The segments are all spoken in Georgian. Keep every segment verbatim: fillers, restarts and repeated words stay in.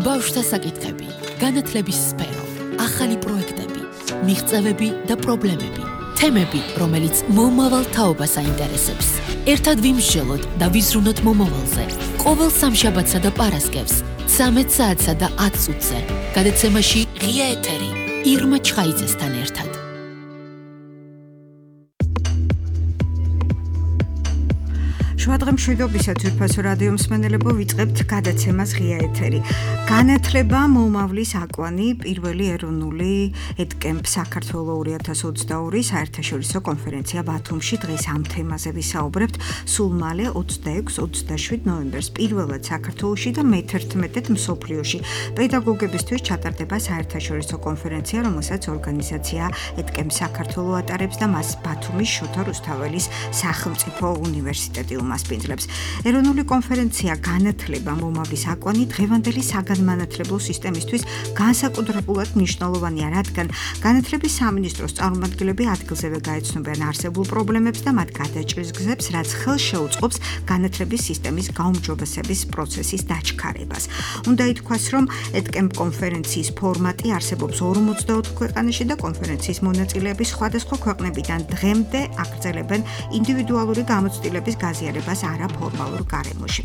ბავშვთა საკითხები, განათლების სფერო, ახალი პროექტები, მიღწევები და პრობლემები, თემები, რომელიც მომავალ თაობას აინტერესებს. ერთად ვიმსჯელოთ და ვიზრუნოთ მომავალზე. ყოველ სამშაბათსა და პარასკევს, ცამეტ საათსა და ათ წუთზე, გადაცემაში ღია ეთერი, ირმა ჩხაიძესთან ერთად. შუადღემშვიდობისა ძვირფასო რადიო მსმენელებო, ვიწყებთ გადაცემას ღია ეთერი. განათლება მომავლის აკვანი პირველი ეროვნული ედკემპ საქართველო ორი ათას ოცდაორი საერთაშორისო კონფერენცია ბათუმში. დღეს ამ თემაზე ვისაუბრებთ. სულ მალე ოცდაექვსი ოცდაშვიდ ნოემბერს პირველად საქართველოში და მეთერთმეტედ მსოფლიოში პედაგოგებისთვის ჩატარდება საერთაშორისო კონფერენცია, რომელსაც ორგანიზაცია ედკემპ საქართველო ატარებს და მას ბათუმის შოთა რუსთაველის სახელმწიფო უნივერსიტეტი მასპინძლებს. ეროვნული კონფერენცია განათლება მომავლის აკვანი დღევანდელი საგანმანათლებლო სისტემისთვის განსაკუთრებულად მნიშვნელოვანია, რადგან განათლების სამინისტროს წარმომადგენლები ადგილზევე გაეცნობიან არსებულ პრობლემებს და მათ გადაჭრის გზებს, რაც ხელს შეუწყობს განათლების სისტემის გაუმჯობესების პროცესის დაჩქარებას. უნდა ითქვას, რომ ედკემპ კონფერენციის ფორმატი არსებობს ორმოცდაოთხ ქვეყანაში და კონფერენციის მონაწილეები სხვადასხვა ქვეყნებიდან დღემდე აგრძელებენ ინდივიდუალური გამოცდილების გაზიარებას არაფორმალურ გარემოში.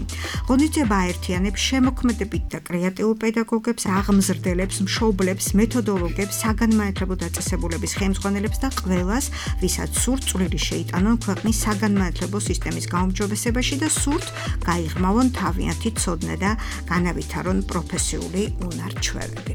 ღონისძიება აერთიანებს შემოქმედებით და კრეატიულ პედაგოგებს, აღმზრდელებს, მშობლებს, მეთოდოლოგებს, საგანმანათლებლო დაწესებულების ხელმძღვანელებს და ყველას, ვისაც სურთ წვლილი შეიტანონ ქვეყნის საგანმანათლებლო სისტემის გაუმჯობესებაში და სურთ გაიღრმავონ თავიანთი ცოდნა და განავითარონ პროფესიული უნარ-ჩვევები.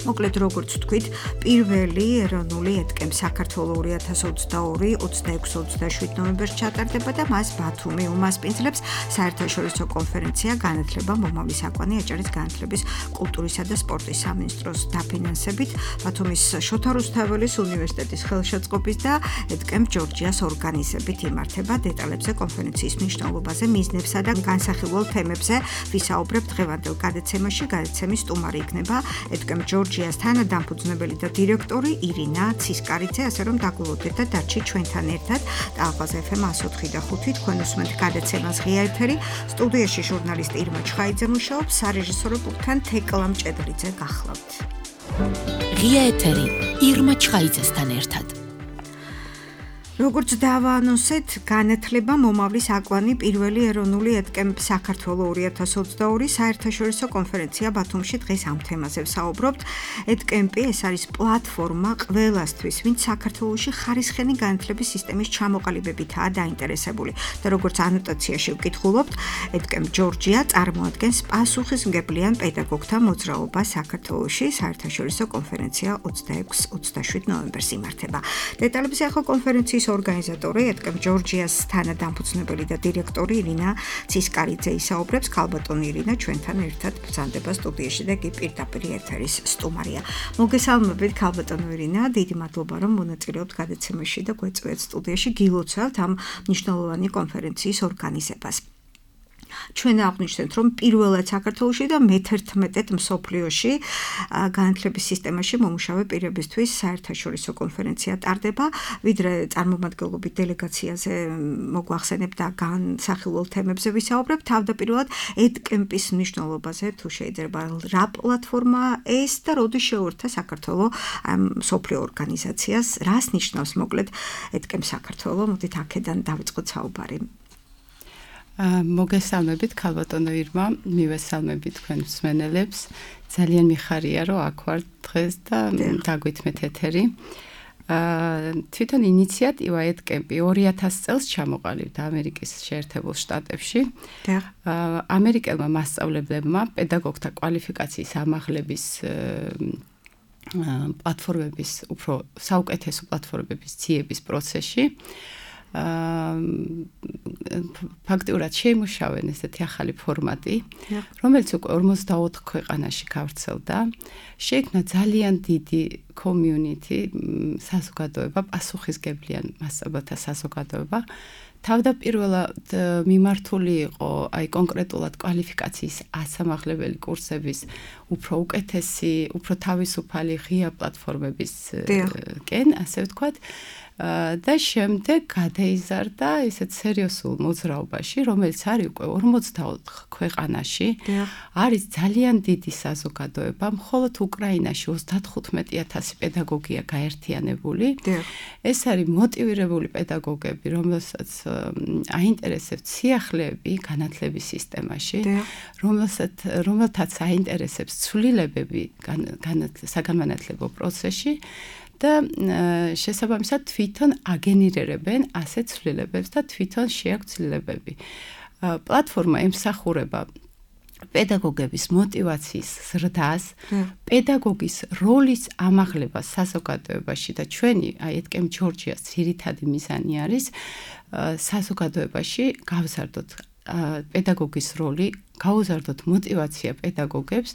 მოკლედ, როგორც ვთქვით, პირველი ეროვნული ედკემპ საქართველო ორი ათას ოცდაორი ოცდაექვსი ოცდაშვიდ ნოემბერს ჩატარდება და მას ბათუმი უმასპინძლებს. საერთაშორისო კონფერენცია განათლება მომავლის აკვანი აჭარის განათლების, კულტურისა და სპორტის სამინისტროს დაფინანსებით, ბათუმის შოთა რუსთაველის უნივერსიტეტის ხელშეწყობით და ედკემპ ჯორჯიას ორგანიზებით იმართება. დეტალებზე კონფერენციის მნიშვნელობაზე, მიზნებსა და განსახილველ თემებზე ვისაუბრებთ დღევანდელ გადაცემაში. გადაცემის სტუმარი იქნება ედკემპ ჯორჯიას თანადამფუძნებელი და დირექტორი ირინა ცისკარიძე, ასე რომ დაგულოდეთ და დარჩით ჩვენთან ერთად. და აბაზ ეფ ემ ათს ოთხი და ხუთი თქვენ უსმენთ გადაცემას ღია ეთერი. სტუდიაში ჟურნალისტი ირმა ჩხაიძე მუშაობს, სარეჟისორო პულტთან თეკლა მჭედრიძე გახლავთ. ღია ეთერი, ირმა ჩხაიძესთან ერთად. როგორც დავაანონსეთ, განათლება მომავლის აკვანი პირველი ეროვნული ედკემპ საქართველო ორი ათას ოცდაორი საერთაშორისო კონფერენცია ბათუმში. დღეს ამ თემაზე ვსაუბრობთ. ედკემპი ეს არის პლატფორმა ყველასთვის, ვინც საქართველოში ხარისხენი განათლების სისტემის ჩამოყალიბებითაა დაინტერესებული. და როგორც ანოტაციაში ვკითხულობთ, ედკემპ ჯორჯია წარმოადგენს პასუხისმგებლიან პედაგოგთა მოძრაობას საქართველოში. საერთაშორისო კონფერენცია ოცდაექვსი ოცდაშვიდ ნოემბერს იმართება. დეტალებზე ახლა კონფერენციის ორგანიზატორი ედკემპ ჯორჯიას თანადამფუძნებელი და დირექტორი ირინა ცისკარიძე ისაუბრებს. ქალბატონი ირინა ჩვენთან ერთად ბრძანდება სტუდიაში და კი პირდაპირ ეთერის სტუმარია. მოგესალმებით ქალბატონო ირინა, დიდი მადლობა რომ მონაწილეობთ გადაცემაში და გვეწვევთ სტუდიაში. გილოცავთ ამ მნიშვნელოვანი კონფერენციის ორგანიზებას. ჩვენ აღვნიშნეთ, რომ პირველად საქართველოში და მეთერთმეტედ მსოფლიოში განათლების სისტემაში მომუშავე პირებისთვის საერთაშორისო კონფერენცია ტარდება. ვიდრე წარმომადგენლობით დელეგაციაზე მოგვახსენებ და განსახილველ თემებზე ვისაუბრებ, თავდაპირველად ედკემპის მნიშვნელობაზე, თუ შეიძლება, რა პლატფორმა ეს და როდის შეუერთდა საქართველო მსოფლიო ორგანიზაციას, რას ნიშნავს მოკლედ ედკემპ საქართველო? მოდით აქედან დავიწყოთ საუბარი. მოგესალმებით ქალბატონო ირმა, მივესალმებით თქვენ მსმენელებს. ძალიან მიხარია რომ აქ ვარ დღეს და დაგვითმეთ ეთერი. თვითონ ინიციატივა ედკემპი ორი ათას წელს ჩამოყალიბდა ამერიკის შეერთებულ შტატებში. ამერიკელმა მასწავლებლებმა პედაგოგთა კვალიფიკაციის ამაღლების პლატფორმების, უფრო საუკეთესო პლატფორმების ძიების პროცესში ფაქტიურად შეიმუშავენ ესეთი ახალი ფორმატი, რომელიც უკვე ორმოცდაოთხ ქვეყანაში გავრცელდა. შეიქმნა ძალიან დიდი community, საზოგადოება, პასუხისმგებლიან მასწავლებელთა საზოგადოება. თავდაპირველად მიმართული იყო აი კონკრეტულად კვალიფიკაციის ასამაღლებელი კურსების უფრო უკეთესი, უფრო თავისუფალი ღია პლატფორმების კენ, ასე ვთქვათ. და შემდეგ გადაიზარდა ისეთ სერიოზულ მოძრაობაში, რომელიც არის უკვე ორმოცდაოთხ ქვეყანაში. არის ძალიან დიდი საზოგადოება, მხოლოდ უკრაინაში ოცდათხუთმეტი ათასი პედაგოგია გაერთიანებული. ეს არის მოტივირებული პედაგოგები, რომელსაც აინტერესებს სიახლეები განათლების სისტემაში, რომელსაც რომელთაც აინტერესებს ცვლილებები საგანმანათლებლო პროცესში. და შესაბამისად თვითონ აგენერირებენ ასეთ ცვლილებებს და თვითონ შეაქვთ ცვლილებები. პლატფორმა ემსახურება პედაგოგების მოტივაციის ზრდას, პედაგოგის როლის ამაღლებას საზოგადოებაში და ჩვენი აი ეთკემ ჯორჯიას ძირითადი მიზანი არის საზოგადოებაში გავზარდოთ პედაგოგის როლი, გაუზარდოთ მოტივაცია პედაგოგებს,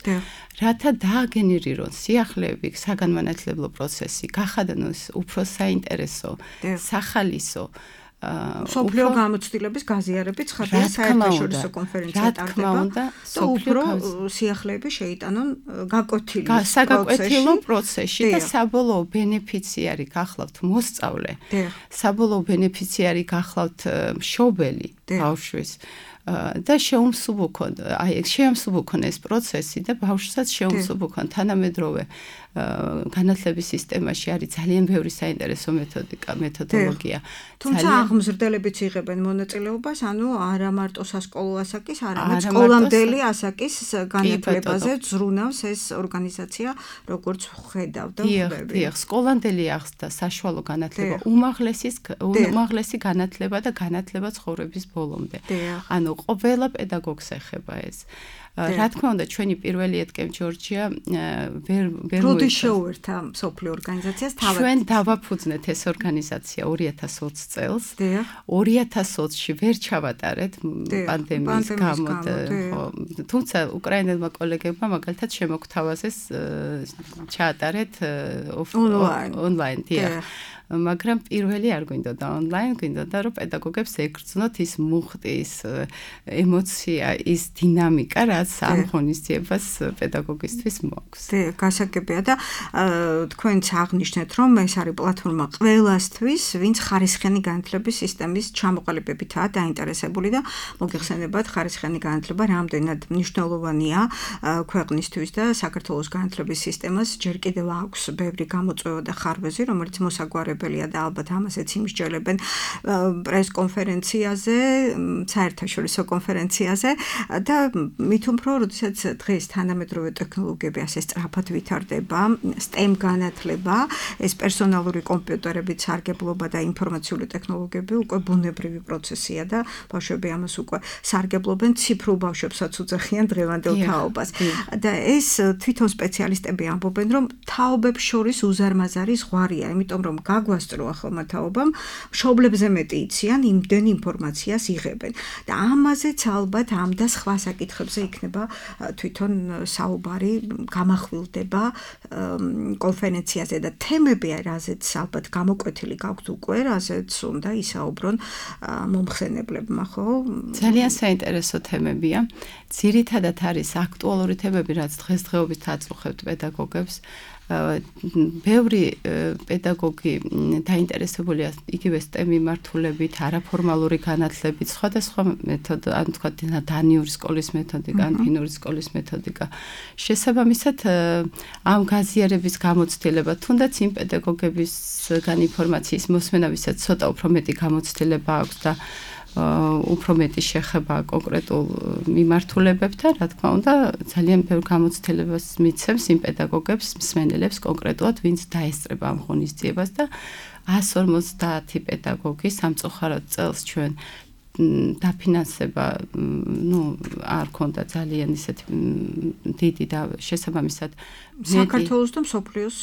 რათა დააგენერირონ სიახლეები, საგანმანათლებლო პროცესი, გახადნოს უფრო საინტერესო, სახალისო სოფლიო გამოცდილების გაზიარებით ცხადია საერთაშორისო კონფერენცია ტარდება და უფრო სიახლეები შეიტანონ გაკვეთილი საგაკვეთილო პროცესში და საბოლოო ბენეფიციარი გახლავთ მოსწავლე, საბოლოო ბენეფიციარი გახლავთ მშობელი ბავშვის და შეუმსუბუქონ, აი შეუმსუბუქონ ეს პროცესი და ბავშვსაც შეუმსუბუქონ თანამედროვე განათლების სისტემაში არის ძალიან ბევრი საინტერესო მეთოდიკა, მეთოდოლოგია. თუმცა აღმზრდელებიც იღებენ მონაწილეობას, ანუ არა მარტო სასკოლო ასაკის, არამედ სკოლამდელი ასაკის განათლებაზე ზრუნავს ეს ორგანიზაცია, როგორც ხედავ და ვხვდები. დიახ, სკოლამდელი ახსდა საშუალო განათლება, უმაღლესის უმაღლესი განათლება და განათლება ცხოვრების ბოლომდე. ანუ ყველა პედაგოგს ეხება ეს. რა თქმა უნდა, ჩვენი პირველი ეთკემ ჯორჯია ვერ ვერ როდის შეუერთა სოფლიო ორგანიზაციას თავად? ჩვენ დავაფუძნეთ ეს ორგანიზაცია ორი ათას ოცი წელს. ორი ათას ოცში ვერ ჩავატარეთ პანდემიის გამო, ხო. თუმცა უკრაინელმა კოლეგებმა მაგალითად შემოგთავაზეს ჩაატარეთ ონლაინ, დიახ. მაგრამ პირველი არ გვინდოდა ონლაინ, გვინდოდა რომ პედაგოგებს ეგრძნოთ ის მუხტი, ის ემოცია, ის დინამიკა, რაც ამ ღონისძიებას პედაგოგისთვის მოაქვს. დე, გასაგებია და თქვენც აღნიშნეთ, რომ ეს არის პლატფორმა ყველასთვის, ვინც ხარისხიანი განათლების სისტემის ჩამოყალიბებითაა დაინტერესებული და მოგეხსენებათ, ხარისხიანი განათლება რამდენად მნიშვნელოვანია ქვეყნისთვის და საქართველოს განათლების სისტემას ჯერ კიდევ აქვს ბევრი გამოწვევა და ხარვეზი, რომელიც მოსაგვარებელია და ალბათ ამასაც იმსჯელებენ პრეს-კონფერენციაზე, საერთაშორისო კონფერენციაზე და მით უფრო, როდესაც დღეს თანამედროვე ტექნოლოგიები ასე სწრაფად ვითარდება, STEM განათლება, ეს პერსონალური კომპიუტერებით სარგებლობა და ინფორმაციული ტექნოლოგიები უკვე ბუნებრივი პროცესია და ბავშვები ამას უკვე სარგებლობენ, ციფრულ ბავშვებსაც უძახიან დღევანდელ თაობას. და ეს თვითონ სპეციალისტები ამბობენ, რომ თაობებს შორის უზარმაზარი ზღვარია, იმიტომ რომ გაგვასწრო ახალმა თაობამ, მშობლებზე მეტი იციან, იმდენ ინფორმაციას იღებენ. და ამაზეც ალბათ ამ და სხვა საკითხებზე იქნება თვითონ საუბარი, გამახვილდება კონფერენციაზე და თემები, რაზეც ალბათ გამოკვეთილი გაქვთ უკვე, რაზეც უნდა ისაუბრონ მომხსენებლებმა, ხო? ძალიან საინტერესო თემებია. ძირითადად არის აქტუალური თემები, რაც დღესდღეობით აწუხებთ პედაგოგებს. ბევრი პედაგოგი დაინტერესებულია იგივე STEM მიმართულებით, არაფორმალური განათლებით, სხვადასხვა მეთოდ, ანუ თქვა დანიური სკოლის მეთოდიკა, ან ფინური სკოლის მეთოდიკა. შესაბამისად, ამ გაზიარების გამოცდილება, თუნდაც იმ პედაგოგებისგან ინფორმაციის მოსმენა, ვისაც ცოტა უფრო მეტი გამოცდილება აქვს და უფრო მეტი შეხება კონკრეტულ მიმართულებებთან, რა თქმა უნდა, ძალიან ბევრ გამოცდილებას მიცემს იმ პედაგოგებს, მსმენელებს კონკრეტულად, ვინც დაესწრება ამ ღონისძიებას და εκατს ორმოცდაათი პედაგოგი სამწუხაროდ წელს ჩვენ დაფინანსება, ну, არ ქონდა ძალიან ისეთი დიდი და შესაბამისად საქართველოს და მსოფლიოს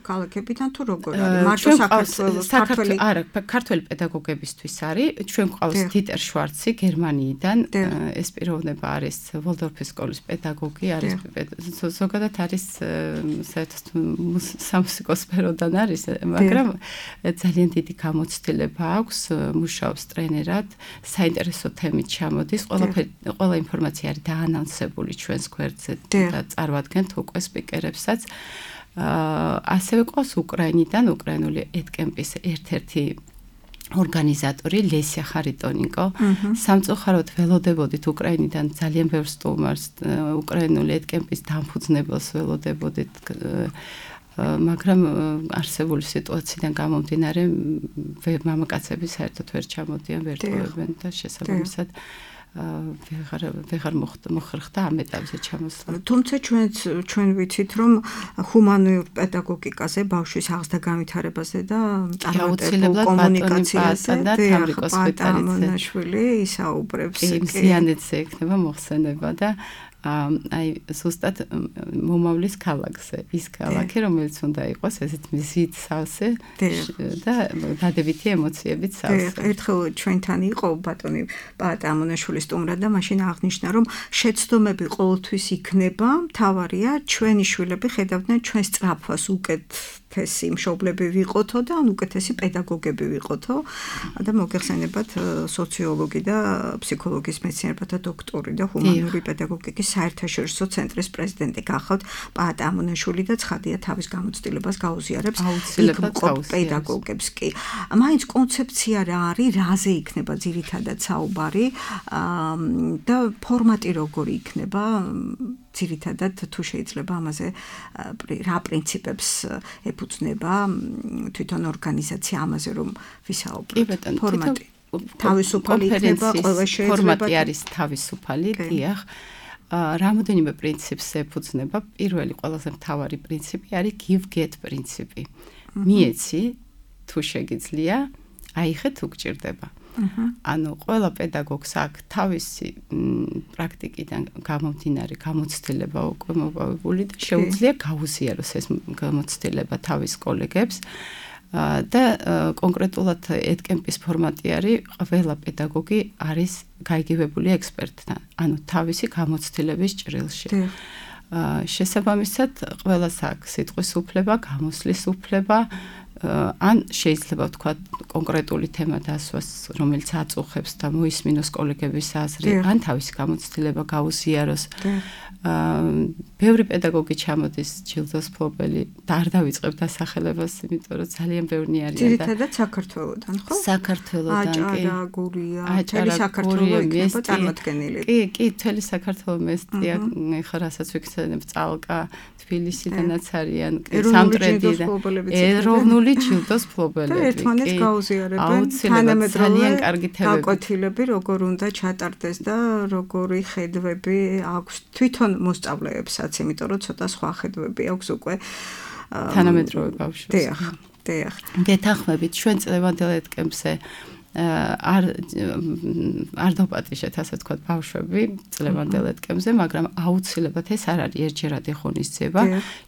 ქალაქებიდან თუ როგორ არის? მარტო საქართველოს, ქართველი არა, ქართველი პედაგოგებისთვის არის. ჩვენ გვყავს დიტერ შვარცი გერმანიიდან, ეს პიროვნება არის ვოლდორფის სკოლის პედაგოგი, არის ზოგადად არის საერთოდ სამუსიკო სფეროდან არის, მაგრამ ძალიან დიდი გამოცდილება აქვს, მუშაობს ტრენერად. საინტერესო თემით ჩამოდის, ყველაფერი, ყველა ინფორმაცია არის დაანონსებული ჩვენს გვერდზე და წარვადგენთ უკვე სპიკერებსაც. ასევე ყავს უკრაინიდან უკრაინული ედკემპის ერთ-ერთი ორგანიზატორი ლესია ხარიტონიკო. სამწუხაროდ ველოდებოდით უკრაინიდან ძალიან ბევრ სტუმარს უკრაინული ედკემპის დამფუძნებელს ველოდებოდით მაგრამ არსებული სიტუაციიდან გამომდინარე მამაკაცები საერთოდ ვერ ჩამოდიან, ვერ ტოვებენ და შესაბამისად ვეღარ ვეღარ მოხერხდა ამ ეტაპზე ჩამოსვლა. თუმცა ჩვენც ჩვენ ვიცით რომ ჰუმანურ პედაგოგიკაზე ბავშვის აღზრდა განვითარებაზე და წარმატებულ კომუნიკაციაზე და თამრიკოს პატამონაშვილი ისაუბრებს. იმსიანეთზე ექნება მოხსენება და აი ზუსტად მომავლის ქალაქზე ის ქალაქი რომელიც უნდა იყოს ესეთ მზით სავსე და დადებითი ემოციებით სავსე. ერთხელ ჩვენთან იყო ბატონი პატამონაშვილი სტუმრად და მაშინ აღნიშნა რომ შეცდომები ყოველთვის იქნება, მთავარია ჩვენი შვილები ხედავდნენ ჩვენ სწრაფვას უკეთესი მშობლები ვიყოთო და ან უკეთესი პედაგოგები ვიყოთო და მოგეხსენებათ სოციოლოგი და ფსიქოლოგიის მეცნიერებათა დოქტორი და ჰუმანური პედაგოგიკის საერთაშორისო ცენტრის პრეზიდენტი გახავთ პატამონაშვილი და ცხადია თავის გამოცდილებას გაუზიარებს პედაგოგებს კი. მაინც კონცეფცია რა არის, რაზე იქნება ძირითადად საუბარი და ფორმატი როგორი იქნება ძირითადად თუ შეიძლება ამაზე რა პრინციპებს ეფუძნება თვითონ ორგანიზაცია ამაზე რომ ვისაუბროთ. ფორმატი თავისუფალი იქნება, ყველა შეიძლება ფორმატი არის თავისუფალი, დიახ. რამოდენიმე პრინციპს ეფუძნება. პირველი ყველაზე მთავარი პრინციპი არის give get პრინციპი. მიეცი თუ შეგიძლია, აიხე თუ გჭირდება. ანუ ყველა პედაგოგს აქვს თავისი პრაქტიკიდან გამომდინარე გამოცდილება უკვე მოპოვებული და შეუძლია გაუზიაროს ეს გამოცდილება თავის კოლეგებს. და კონკრეტულად ედკემპის ფორმატი არის ყველა პედაგოგი არის გაიგივებული ექსპერტთან, ანუ თავისი გამოცდილების ჭრილში. შესაბამისად, ყველას აქვს სიტყვის უფლება, გამოსვლის უფლება, ან შეიძლება ვთქვა კონკრეტული თემა დასვას, რომელიც აწუხებს და მოისმინოს კოლეგების აზრი, ან თავისი გამოცდილება გაუზიაროს. ბევრი პედაგოგი ჩამოდის ჯილდოს მფლობელი და არ დავიწყებ დასახელებას, იმიტომ რომ ძალიან ბევრი არიან და ძირითადად საქართველოდან, ხო? საქართველოდან კი. აჭარა, გურია, მთელი საქართველო იქნება წარმოდგენილი. კი, კი, მთელი საქართველო მესტია, ხა რასაც ვიქცენებ წალკა, თბილისიდანაც არიან, სამტრედი და ეროვნული ჯილდოს მფლობელები. და ერთმანეთს გაუზიარებენ თანამედროვე გაკვეთილები, როგორ უნდა ჩატარდეს და როგორი ხედვები აქვს თვითონ მოსწავლეებსაც, იმიტომ რომ ცოტა სხვა ხედვები აქვს უკვე თანამედროვე ბავშვებს. დიახ, დიახ. გეთანხმებით ჩვენ წლევანდელ ედკემპზე არ არ დაპატიშეთ ასე ვთქვათ ბავშვები წლევანდელ ედკემპზე, მაგრამ აუცილებლად ეს არ არის ერთჯერადი ღონისძიება,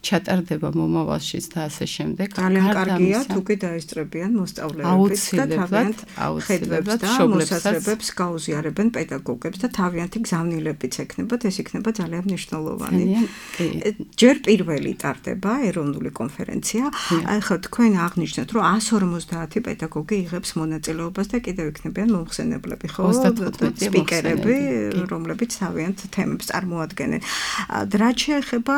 ჩატარდება მომავალშიც და ასე შემდეგ. ძალიან კარგია თუ კი დაესწრებიან მოსწავლეებიც და თავიანთ ხედვებს და მოსაზრებებს გაუზიარებენ პედაგოგებს და თავიანთი გზავნილებიც ექნებათ, ეს იქნება ძალიან მნიშვნელოვანი. ჯერ პირველი ტარდება ეროვნული კონფერენცია. აი ხო თქვენ აღნიშნეთ, რომ εκατს ორმოცდაათი პედაგოგი იღებს მონაწილეობას და კიდევ იქნებიან მომხსენებლები, ხო? სპიკერები, რომლებიც თავიანთ თემებს წარმოადგენენ. რაც შეეხება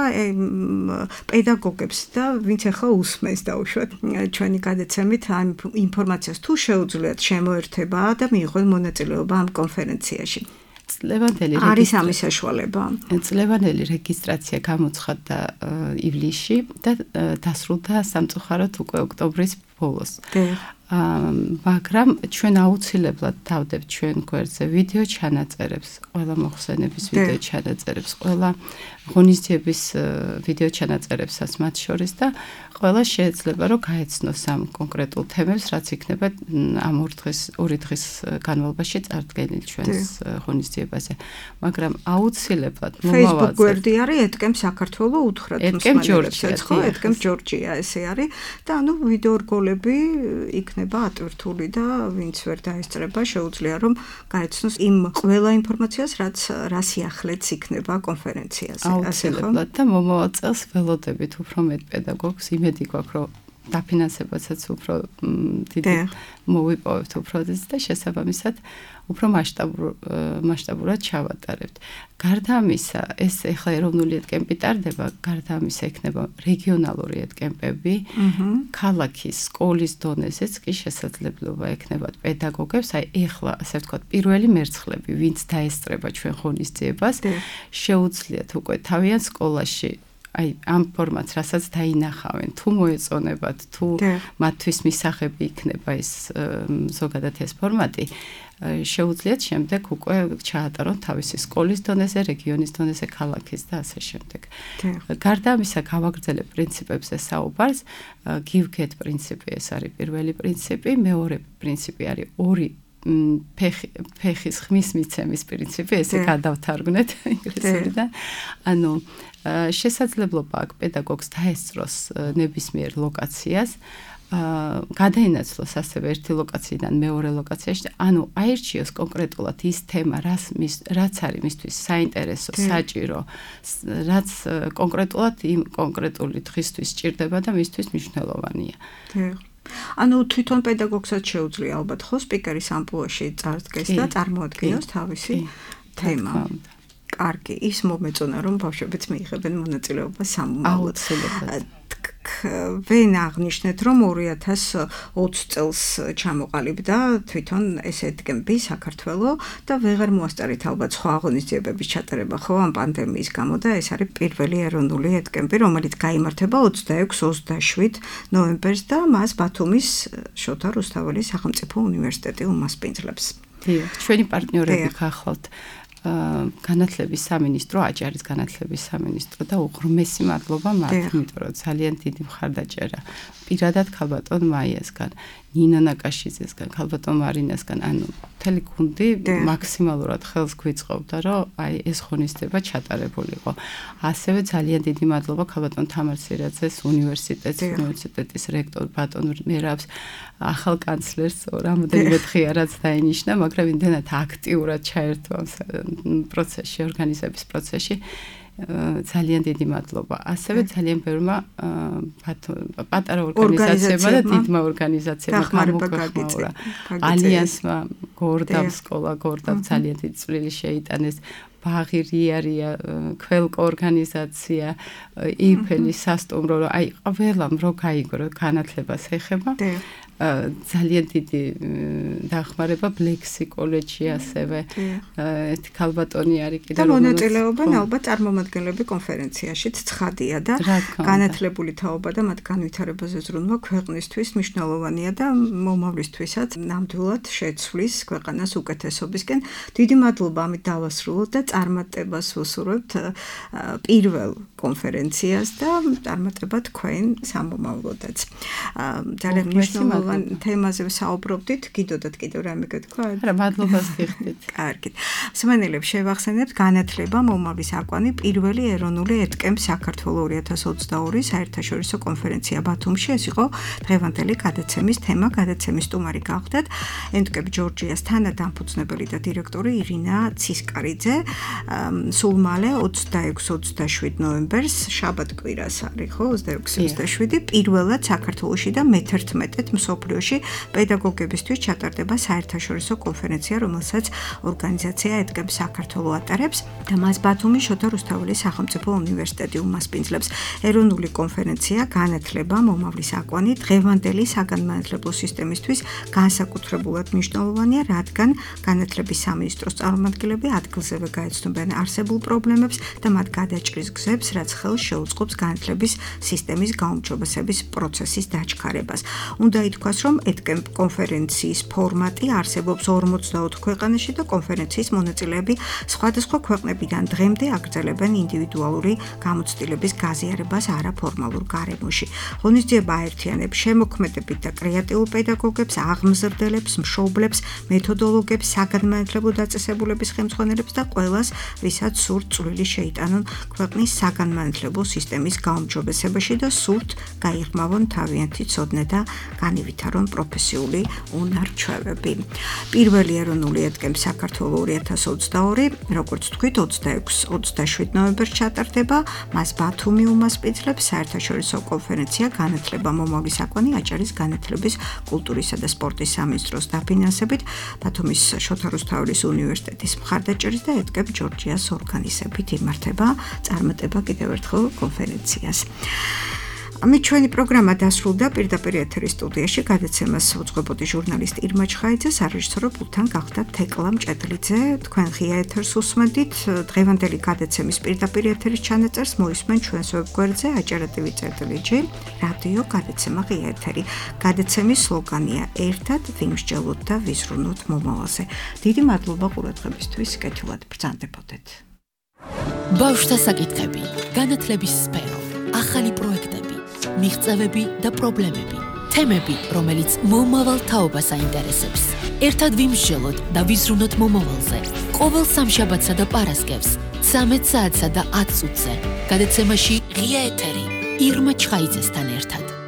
პედაგოგებს და ვინც ახლა უსმენს დაუშვათ ჩვენი გადაცემით ამ ინფორმაციას თუ შეუძლიათ შემოერთება და მიიღონ მონაწილეობა ამ კონფერენციაში. წლევანდელი არის ამის საშუალება. წლევანდელი რეგისტრაცია გამოცხადდა ივლისში და დასრულდა სამწუხაროდ უკვე ოქტომბრის ბოლოს. მაგრამ ჩვენ აუცილებლად დავდებთ ჩვენ გვერდზე ვიდეო ჩანაწერებს, ყველა მოხსენების ვიდეო ჩანაწერებს, ყველა ღონისძიების ვიდეო ჩანაწერებსაც მათ შორის და ყველა შეიძლება რომ გაეცნოს ამ კონკრეტულ თემებს, რაც იქნება ამ ორი დღის ორი დღის განმავლობაში წარდგენილი ჩვენს ღონისძიებაზე. მაგრამ აუცილებლად მომავალზე Facebook გვერდი არის ედკემ საქართველო უთხრათ მსმენელებსაც, ხო, ედკემ ჯორჯია ესე არის და ანუ ვიდეო რგოლები იქნება ატვირთული და ვინც ვერ დაესწრება შეუძლია რომ გაეცნოს იმ ყველა ინფორმაციას, რაც რა სიახლეც იქნება კონფერენციაზე. აუცილებლად და მომავალ წელს ველოდებით უფრო მეტ პედაგოგს, იმედი გვაქვს რომ დაფინანსებაცაც უფრო დიდი მოვიპოვებთ უფრო და შესაბამისად უფრო მასშტაბურ მასშტაბურად ჩავატარებთ. გარდა ამისა, ეს ეხლა ეროვნული ეტკემპი ტარდება, გარდა ამისა იქნება რეგიონალური ეტკემპები, ქალაქის, სკოლის დონეზეც კი შესაძლებლობა ექნებათ პედაგოგებს, აი ეხლა ასე ვთქვათ, პირველი მერცხლები, ვინც დაესწრება ჩვენ ღონისძიებას, შეუძლიათ უკვე თავიანთ სკოლაში აი ამ ფორმატს რასაც დაინახავენ, თუ მოეწონებათ, თუ მათთვის მისაღები იქნება ეს ზოგადად ეს ფორმატი, შეუძლიათ შემდეგ უკვე ჩაატარონ თავისი სკოლის დონეზე, რეგიონის დონეზე, ქალაქის და ასე შემდეგ. გარდა ამისა, გავაგრძელებ პრინციპებზე საუბარს, give get პრინციპი ეს არის პირველი პრინციპი, მეორე პრინციპი არის ორი ფეხის ხმის მიცემის პრინციპი, ესე გადავთარგმნეთ ინგლისურიდან. ანუ შესაძლებლობა აქვს პედაგოგს დაესწროს ნებისმიერ ლოკაციას, გადაინაცვლოს ასევე ერთი ლოკაციიდან მეორე ლოკაციაში, ანუ აირჩიოს კონკრეტულად ის თემა, რაც რაც არის მისთვის საინტერესო, საჭირო, რაც კონკრეტულად იმ კონკრეტული დღისთვის სჭირდება და მისთვის მნიშვნელოვანია. ანუ თვითონ პედაგოგსაც შეუძლია ალბათ ხო სპიკერის ამპლუაში წარდგეს და წარმოადგინოს თავისი თემა. კარგი, ის მომეწონა რომ ბავშვებიც მიიღებენ მონაწილეობას სამომავლოდ. ვენ აღნიშნეთ რომ ორი ათას ოცი წელს ჩამოყალიბდა თვითონ ეს ეტკემპი საქართველოს და ვეღარ მოასწარით ალბათ სხვა აღონისძიებების ჩატარება ხო ამ პანდემიის გამო და ეს არის პირველი ეროვნული ეტკემპი რომელიც გაიმართება ოცდაექვსი ოცდაშვიდ ნოემბერს და მას ბათუმის შოთა რუსთაველის სახელმწიფო უნივერსიტეტი უმასპინძლებს. დიახ, ჩვენი პარტნიორები გახლავთ განათლების სამინისტრო, აჭარის განათლების სამინისტრო და უღრმესი მადლობა მათ, იმიტომ რომ ძალიან დიდი მხარდაჭერა პირადად ქალბატონ მაიასგან, ნინა ნაკაშიძესგან, ქალბატონ მარინასგან, ანუ მთელი გუნდი მაქსიმალურად ხელს გვიწყობდა, რომ აი ეს ღონისძიება ჩატარებულიყო. ასევე ძალიან დიდი მადლობა ქალბატონ თამარ სირაძეს, უნივერსიტეტის, უნივერსიტეტის რექტორ ბატონ მერაბს, ახალ კანცლერს, რამოდენიმე დღეა რაც დაინიშნა, მაგრამ იმდენად აქტიურად ჩაერთვა პროცესში, ორგანიზების პროცესში. ძალიან დიდი მადლობა. ასევე ძალიან ბევრმა პატარა ორგანიზაციებმა და დიდმა ორგანიზაციებმა გამოგახმაურა. ალიანსმა, გორდავ სკოლა, გორდავ ძალიან დიდი წვლილი შეიტანეს. ბაღი რიარია, ქველკო ორგანიზაცია, იფელი სასტუმრო, აი ყველამ რო გაიგრო განათლებას ეხება. ძალიან დიდი დახმარება ბლექსი კოლეჯში ასევე ერთი ქალბატონი არის კიდე და მონაწილეობენ ალბათ წარმომადგენლები კონფერენციაშიც ცხადია და განათლებული თაობა და მათ განვითარებაზე ზრუნვა ქვეყნისთვის მნიშვნელოვანია და მომავლისთვისაც ნამდვილად შეცვლის ქვეყანას უკეთესობისკენ. დიდი მადლობა ამით დავასრულოთ და წარმატებას ვუსურვებთ პირველ კონფერენციას და წარმატება თქვენ სამომავლოდაც. ძალიან მნიშვნელოვანია თემაზე საუბრობდით, გიდოდათ კიდევ რამე გეთქვა? არა, მადლობას გიხდით. კარგით. მსმენელებს შევახსენებთ განათლება მომავლის აკვანი პირველი ეროვნული ეტკემპ საქართველოს ორი ათას ოცდაორი საერთაშორისო კონფერენცია ბათუმში. ეს იყო დღევანდელი გადაცემის თემა, გადაცემის სტუმარი გახდათ ეტკემპ ჯორჯიას თანადამფუძნებელი და დირექტორი ირინა ცისკარიძე. სულ მალე ოცდაექვსი ოცდაშვიდ ნოემბერს შაბათ-კვირას არის ხო ოცდაექვსი ოცდაშვიდი პირველად საქართველოში და მეთერთმეტედ მსოფლიოში პედაგოგებისთვის ჩატარდება საერთაშორისო კონფერენცია, რომელსაც ორგანიზაცია ეტკემპ საქართველოს ატარებს და მას ბათუმის შოთა რუსთაველის სახელმწიფო უნივერსიტეტი უმასპინძლებს. ეროვნული კონფერენცია განათლება მომავლის აკვანი დღევანდელი საგანმანათლებლო სისტემისთვის განსაკუთრებულად მნიშვნელოვანია, რადგან განათლების სამინისტროს წარმომადგენლები ადგილზევე გაეცნობიან არსებულ პრობლემებს და მათ გადაჭრის გზებს, რაც ხელს შეუწყობს განათლების სისტემის გაუმჯობესების პროცესის დაჩქარებას. უნდა ითქვას, რომ ეტკემპ კონფერენციის ფორმატი არსებობს ორმოცდაოთხ ქვეყანაში და კონფერენციის მონაწილეები სხვადასხვა ქვეყნებიდან დღემდე აგრძელებენ ინდივიდუალური გამოცდილების გაზიარებას არაფორმალურ გარემოში. ღონისძიება აერთიანებს შემოქმედებით და კრეატიულ პედაგოგებს, აღმზრდელებს, მშობლებს, მეთოდოლოგებს, საგანმანათლებლო დაწესებულების ხელმძღვანელებს და ყველას, ვისაც სურთ წვლილი შეიტანონ ქვეყნის საგანმანათლებლო სისტემის გაუმჯობესებაში და სურთ გაიღრმავონ თავიანთი ცოდნა და განივი განავითარონ პროფესიული უნარ-ჩვევები. პირველი ეროვნული ეთკემ საქართველოს ორი ათას ოცდაორი, როგორც თქვით, ოცდაექვსი ოცდაშვიდ ნოემბერს ჩატარდება. მას ბათუმი უმასპინძლებს საერთაშორისო კონფერენცია განათლება მომავალი საკვანი აჭარის განათლების, კულტურისა და სპორტის სამინისტროს დაფინანსებით, ბათუმის შოთა რუსთაველის უნივერსიტეტის მხარდაჭერით და ეთკემ ჯორჯიას ორგანიზებით იმართება წარმატება კიდევ ერთხელ კონფერენციას. ამით ჩვენი პროგრამა დასრულდა. პირდაპირ ეთერის სტუდიაში გადაცემას უძღვებოდი ჟურნალისტ ირმა ჩხაიძე, სარეჟისორო პულტთან გახდა თეკლა მჭედლიძე. თქვენ ღია ეთერს უსმენთ. დღევანდელი გადაცემის პირდაპირ ეთერის ჩანაწერს მოისმენ ჩვენს ვებგვერდზე აჭარა ტივი წერტილი ჯი რადიო გადაცემა ღია ეთერი. გადაცემის სლოგანია ერთად ვიმსჯელოთ და ვიზრუნოთ მომავალზე. დიდი მადლობა ყურადღებისთვის. კეთილად ბრძანდებოდეთ. ბავშვთა საკითხები, განათლების სფერო, ახალი პროექტები, მიღწევები და პრობლემები, თემები, რომელიც მომავალ თაობას აინტერესებს. ერთად ვიმსჯელოთ და ვიზრუნოთ მომავალზე. ყოველ სამშაბათსა და პარასკევს, ცამეტ საათსა და ათ წუთზე. გადაცემაში ღია ეთერი ირმა ჩხაიძესთან ერთად.